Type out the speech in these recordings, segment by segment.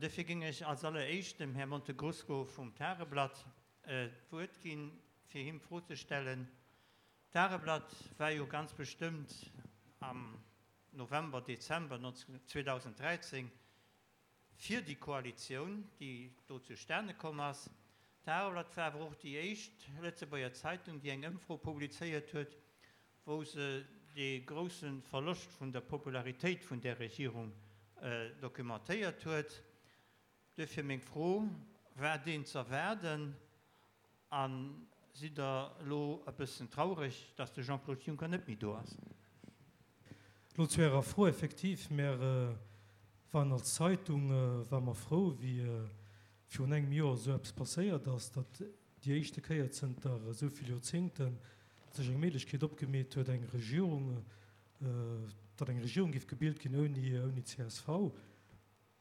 An duerfir géing ech als alleréischt dem Här Montegrusco vum Tageblatt d'Wuert ginn, fir him d'Fro ze stellen. D'Tageblatt war jo ganz bestëmmt am November, Dezember 2013 fir déi Koalitioun, déi do zustane komm ass. D'Tageblatt war awer och déi éischt Lëtzebuerger Zeitung, déi eng Ëmfro publizéiert huet, wou se dee grousse Verloscht vun der Popularitéit vun där Regierung documentéiert huet. Duerfir meng Fro, War deen z'erwaarden a sidd Der elo e bëssen traureg, datt de Jean-Claude Juncker net méi do ass? Elo zu Ärer Fro, Effektiv, mär waren als Zeitung ware mer frou, wéi virun engem Joer esou eppes passéiert ass, datt déi éischte Kéier zënter esou vill Joerzéngten sech eng Méiglechkeet opgemeet huet, eng Regierung, datt eng Regierung géif gebilt ginn ouni ouni csv.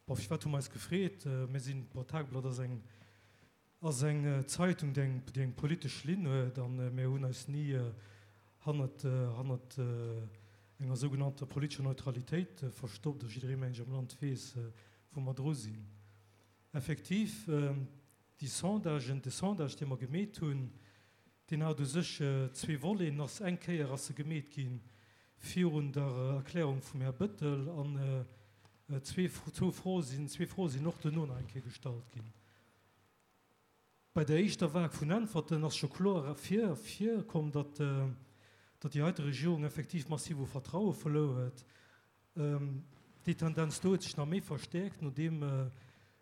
Bon, firwat hu mer eis gefreet? Mir sinn, bon, d'Tageblatt ass eng ass eng Zeitung, déi eng déi eng politesch Linn huet a mir hunn eis ni hannert hannert enger sougenannter politescher Neutralitéit verstoppt a jidderee mengen ech am Land weess, wou mer dru sinn. Effektiv, déi Sondagen, de Sondage, dee mer gemeet hunn, deen hat u sech zwee Voleten. Ass eng Kéier ass e gemeet gi virun der Erklärung vum Här Bëttel an zwee, zwou Froe sinn, zwee Froe sinn och duerno nach eng Kéier gestallt ginn. Bei der éischter Vague vun Äntwerten ass scho kloer ervir komm, datt datt déi heite Regierung effektiv massiv u Vertraue verluer huet. Déi Tendenz do huet sech nach méi verstäerkt, nodeem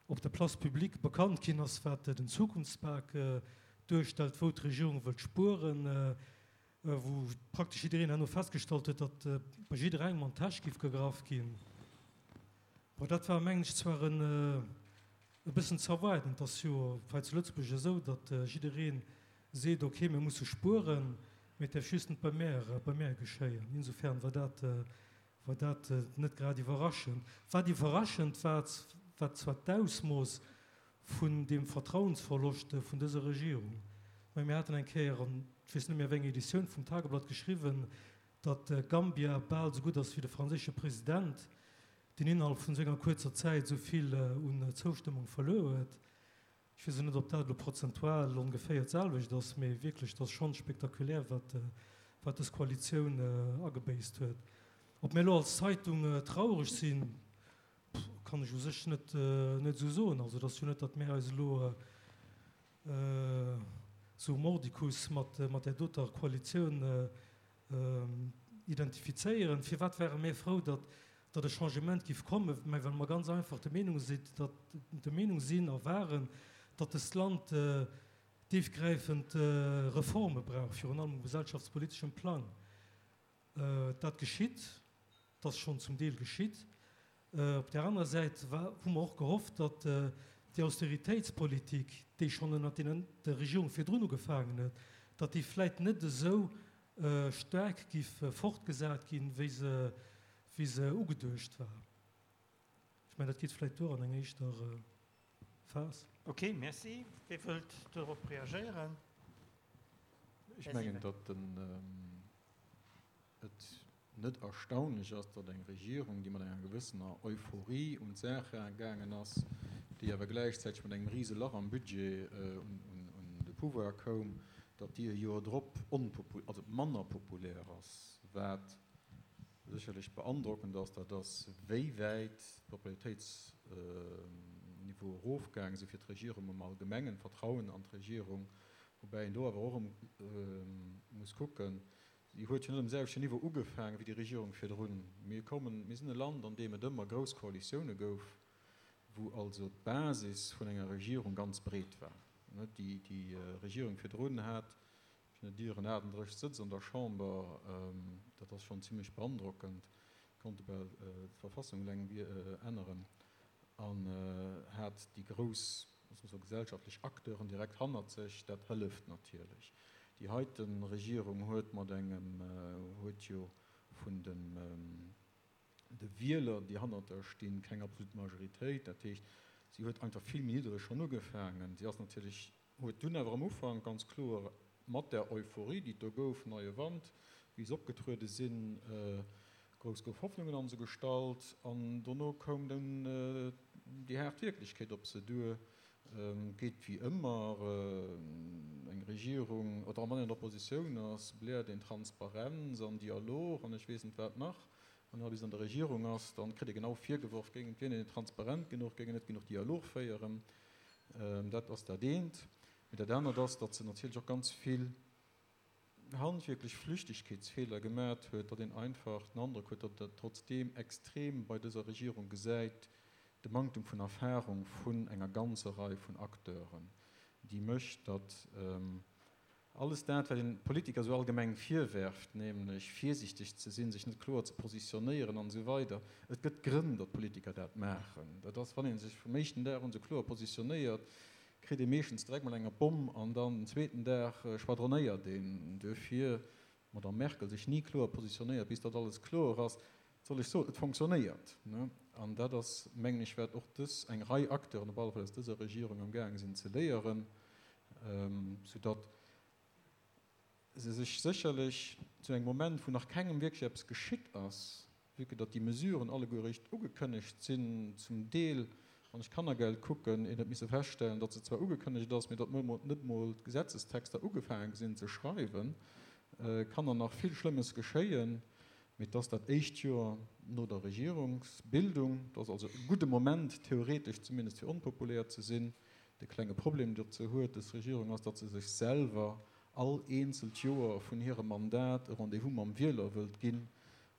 op der Place publique bekannt ginn ass, wat den Zukunftspak duerstellt, wou d'Regierung wëllt spueren, wou praktesch jiddereen herno festgestallt huet, datt bei jidderengem an d'Täsch giff gegraff ginn. Bon, dat war, mengen ech, zwar e bëssen z'erwaarden. Et ass jo hei zu Lëtzebuerg esou, datt jidderee seet, ok, mir musse spueren, mee et däerf just net bei mär, bei mär geschéien. Insofern war dat, war dat net grad iwwerraschend. Wat iwwerraschend war, war zwar d'Ausmooss vun deem Vertrauensverloscht vun dëser Regierung. Mä mir haten eng Kéier an, ech weess net méi a wéi enger Editioun vum Tageblatt geschriwwen, datt Gambia bal esou gutt ass wéi de franséische President, deen innerhalb vun esou enger kuerzer Zäit esou vill un Zoustëmmung verluer huet. Ech weess elo net, ob dat elo prozentual ongeféier d'selwecht ass, mee wierklech, et ass schonn spektakulär, wat wat dës Koalitioun agebéisst huet. Ob mir elo als Zeitung traureg sinn, kann ech u sech net net esou soen. Also et ass jo net, datt mir eis elo esou mordicus mat mat där doter Koalitioun identifizéieren. Firwat ware mir frou, datt datt e Changement giff kommen? Mä well mer ganz einfach der Meenung sinn, datt der Meenung sinn a waren, datt dëst Land déifgräifend Reforme brauch, virun allem um gesellschaftspoliteschem Plang. Dat geschitt, dat ass schonn zum Deel geschitt. Op där anerer Säit hu mer och gehofft, datt déi Austeritéitspolitik, déi schonn ënnert deenen der Regierung virdrun ugefaangen huet, datt déi vläit net esou staark giff fortgesat ginn, wéi se, wéi se ugeduecht war. Ech mengen, dat geet vläit duer an enger éischter Phas. Ok, merci. Wie wëllt dorop reagéieren? Ech mengen, datt den. et net erstaunlech ass, datt eng Regierung, déi mat enger gewëssener Euphorie un d'Saach gaangen ass, déi awer gläichzäiteg mat engem rise Lach am Budget un de Pouvoir koum, datt déi e Joer drop also manner populär ass. Wat sécherlech beandrockend ass, dat ass, wéi wäit d'Popularitéitsniveaue erofgaange si fir d'Regierung am Allgemengen, d'Vertrauen an d'Regierung, woubäi een do awer och erëm muss kucken, Si huet jo net um selwechten Niveau ugefaangen wéi déi Regierung virdrun. Mir kommen, mir sinn e Land, an deem et ëmmer grouss Koalitioune gouf, wou also d'Basis vun enger Regierung ganz breet war. Déi Regierung virdrun hat, ech net ieren, 38 Sëtz an der Chamber. Dat ass schonn zimlech beandrockend, konnte bal d'Verfassung eleng änneren. An hat déi grouss gesellschaftlech Acteuren direkt hannert sech. Dat hëlleft natierlech. Déi heite Regierung huet mat engem, huet jo vun de Wieler, déi hannert der stinn, keng absolut Majoritéit. Dat heescht, si huet einfach vill méi niddreg schonn ugefaangen. Si ass natierlech Huet dunn awer am Ufank ganz kloer mat där Euphorie, déi et do gouf, neie Wand, wéi se opgetruede sinn, grouss gouf Hoffnungen an se gestallt. An dono koum dunn déi haart Wierklechkeet op se duer, geet wéi ëmmer eng Regierung, oder wann een an der Oppositioun ass, bläert een Transparenz an Dialog an ech weess net wat nach. Wann een bis an der Regierung ass, dann kritt ee genau virgeworf, géing et wier een net transparent genuch, géing een net genuch Dialog féieren. Dat ass dat eent. Mee dat anert ass, datt se natierlech och ganz vill handwierklech Flüchtegkeetsfeeler gemat huet, datt een einfach den Androck huet, datt dat trotzdeem extrem bei dëser Regierung gesäit, de Manktum vun Erfahrung vun enger ganzer Rei vun Acteuren, déi mécht, datt alles dat, wat een Politiker esou allgemeng virwerft, nämlech virsichteg ze sinn, sech net kloer ze positionéieren an esou weider, et gëtt Grënn, datt Politiker dat maachen. Dat ass, wann ee sech vum éischten Dag un esou kloer positionéiert, kritt ee meeschtens direkt mol eng op d'Bomm an dann den zweeten Dag schwadronéiert een. Duerfir d'Madame Merkel sech ni kloer positionéiert, bis datt alles kloer ass. Wat soll ech soen, et fonctionnéiert. An dat ass, mengen ech, wat och dës, eng Rei Acteuren op alle Fall aus dëser Regierung amgaange sinn ze léieren, soudatt se sech sécherlech zu engem Moment, wou nach kengem wierklech eppes geschitt ass, vue que datt déi Mesuren alleguer eréischt ugekënnegt sinn, zum Deel, wann ech d'Kannergeld kucken, een huet misse feststellen, datt se zwar ugekënnegt ass, mee datt net mol d'Gesetzestexter ugefaange sinn ze schreiwen, kann der nach vill Schlëmmes geschéien. Mee et ass dat éischt Joer no der Regierungsbildung, et ass also e gudde Moment, theoretesch zumindest, fir onpopulär ze sinn. De klenge Problem, dee se huet, dës Regierung, ass, datt se sech selwer all eenzelt Joer vun hirem Mandat e Rendez-vous mam Wieler wëllt ginn.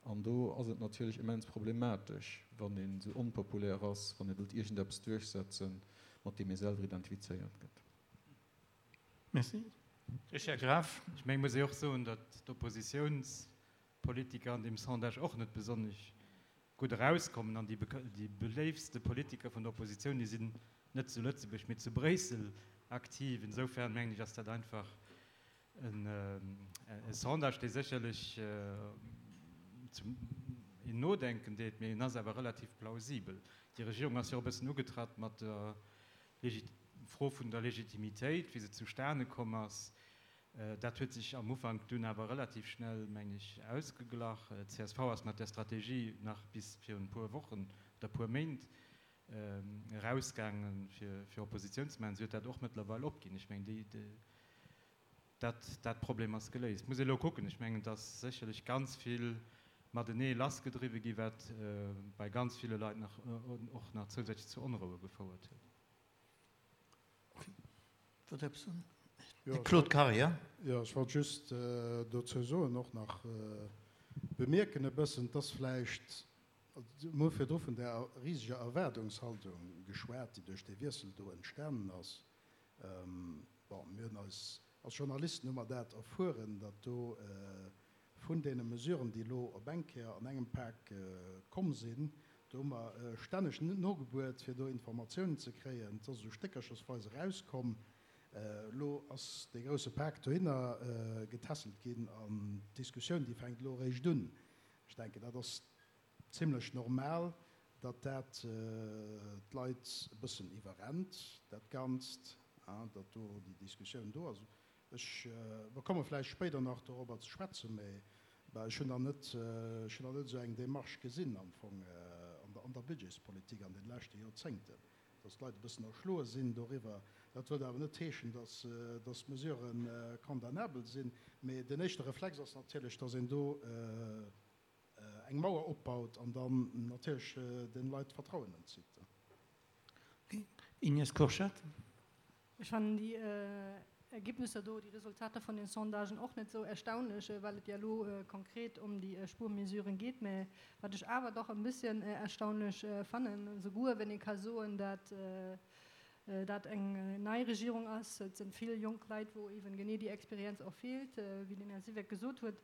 An do ass et natierlech immens problematesch, wann een esou onpopulär ass, wann ee wëllt iergendeppes duerchsetzen, mat deem ee selwer identifizéiert gëtt. Merci. Richard Graf. Ech mengen, et muss ee och soen, datt d'Oppositiounspolitiker an deem Sondage och net besonnesch gutt erauskommen. An déi beléiftste Politiker vun der Oppositioun, déi sinn net zu Lëtzebuerg, mee zu Bréissel aktiv. Insofern mengen ech, ass dat einfach E Sondage, dee sécherlech zum een nodenken deet, mee en ass awer relativ plausibel. Déi Regierung ass jo och e bëssen ugetratt mat der Fro vun der Legitimitéit, wéi se zustane komm ass. Dat huet sech am Ufank dunn awer relativ schnell, meng ech, ausgeglach. D'CSV ass mat där Strategie nach bis virun e puer Wochen oder e puer Méint erausgaangen, fir Oppositioun ze maachen. Si huet dat och mëttlerweil opginn. Ech mengen, déi. Dat, dat Problem ass geléist. Muss ee elo kucken. Ech mengen, et ass sécherlech ganz vill matenee lassgedriwwe gi wat bei ganz ville Leit nach och nach zousätzlech zu Onroue gefouert huet. Wollt eppes soen? De Claude Karier. Jo, ech wollt just dozou soen, och nach bemierken e bëssen, et ass vläicht, mir hu virdru vun där riseger Erwaardungshaltung geschwat, déi duerch dee Wiessel do entstanen ass. Bon, mir hunn eis, als Journalisten hu mer dat erfueren, datt do vun deene Mesuren, déi elo op eng Kéier an engem Pak komm sinn, do hu mer stänneg nogebuert, fir do Informatiounen ze kréien. Et ass esou stéckerchersweis erauskomm. Elo ass dee grousse Pak dohinner getässelt ginn an d'Diskussioun, déi fänkt elo eréischt un. Ech denken, dat ass Zimlech normal, datt dat d'Leit e bëssen iwwerrennt, dat Ganzt, datt do déi Diskussioun do ass. Ech, mer komme vläicht spéider nach dorobber ze schwätzen, mä ech hunn nach net, ech hunn nach net esou eng Démarche gesinn am Fong an der Budgetspolitik an de leschte Joerzéngten, datt d'Leit e bëssen erschloe sinn doriwwer. Dat wëllt awer net heeschen, datt d'Mesurë condamnabel sinn, mä den éischte Reflex ass natierlech, datt een do, eng Mauer opbaut an dann natierlech den Leit d'Vertrauen entzitt. Ignace Kurschat. Ech fannen déi Ergebnisser do, déi Resultater vun den Sondagen och net esou erstaunlech, well et ja elo konkret ëm déi Spuermesuren geet. Mä wat ech awer dach e bësschen erstaunlech fannen, souguer wenn ee ka soen, dat dat eng nei Regierung ass, et sinn vill jonk Leit, wou eeben genee déi Experienz och feelt, wéi den Här Siweck gesot huet,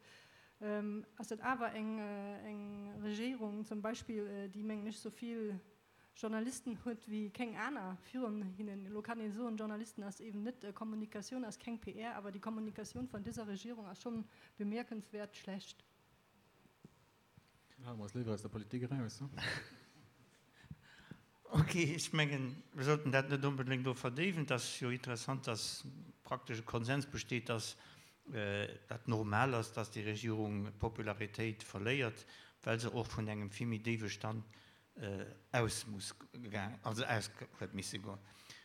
ass et awer eng Regierung zum Beispill, déi, mengen ech, sou vill Journalisten huet wéi keng aner virun hinnen. Elo kann ee soen, Journalisten ass eeben net Kommunikatioun, ass keng PR, awer déi Kommunikatioun vun dëser Regierung ass schonn bemierkenswäert schlecht. Hale mer eis léiwer aus der Politik eraus, he? Ok, ech mengen, mir sollten dat net onbedéngt elo verdéiwen. Et ass jo interessant, dass praktesch e Konsens besteet, dass dat normal ass, dass déi Regierung Popularitéit verléiert, well se och vun engem vill méi déiwe Stand. Aus muss gaang, also aus huet misse goen.